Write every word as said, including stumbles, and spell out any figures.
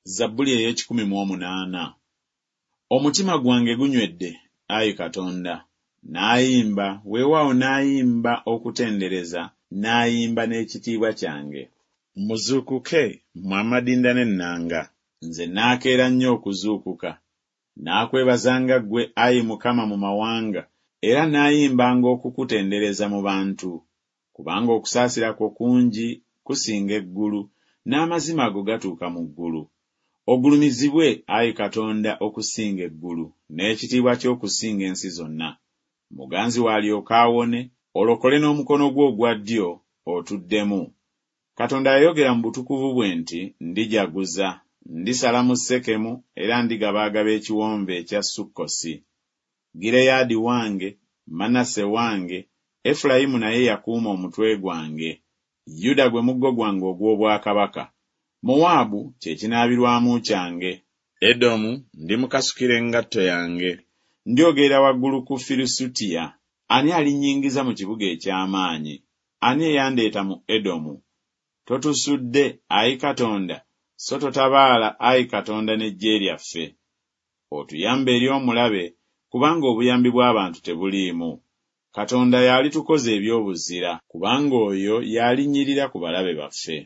Zabbuli ey'ekikumi mu omunaana. Omutima gwange gunywedde, ayi Katonda, n'ayimba, weewaawo n'ayimba okutendereza, n'ayimba n'ekitiibwa kyange. Muzuukuke, mmwe amadinda n'ennanga! Nze naakeera nnyo okuzuukuka. Naakwebazanga ggwe, ayi Mukama, mu mawanga, era naayimbanga okukutendereza mu bantu. Kubanga okusaasira kwo kungi kusinga eggulu, n'amazima go gatuuka mu ggulu. Ogulumizibwe, ayi Katonda, okusinga eggulu, n'ekitiibwa kyo okusinga ensi zonna. Muganzi wo alyoke awone, olokole n'omukono gwo ogwa ddyo, otuddemu. Katonda yayogera mu butukuvu bwe nti Ndijaguza, ndisala mu Sekemu, era ndigabaagaba ekiwonvu ekya Sukkosi. Gireyaadi wange, Manase wange, Efulayimu naye yakuuma omutwe gwange, Yuda gwe muggo gwange ogw'obwakabaka. Mowaabu kye kinaabirwamu kyange. Edomu ndimukasukira engatto yange. Ndyogerera waggulu ku Firisuutiya. Ani alinnyingiza mu kibuga eky'amaanyi? Ani eyandeeta mu Edomu? Totusudde, ayi Katonda, so totabaala, ayi Katonda, n'eggye lyaffe. Otuyambe eri omulabe, kubanga obuyambi bw'abantu tebuliimu. Katonda y'alitukoza eby'obuzira, kubanga oyo y'alinnyirira ku balabe baffe.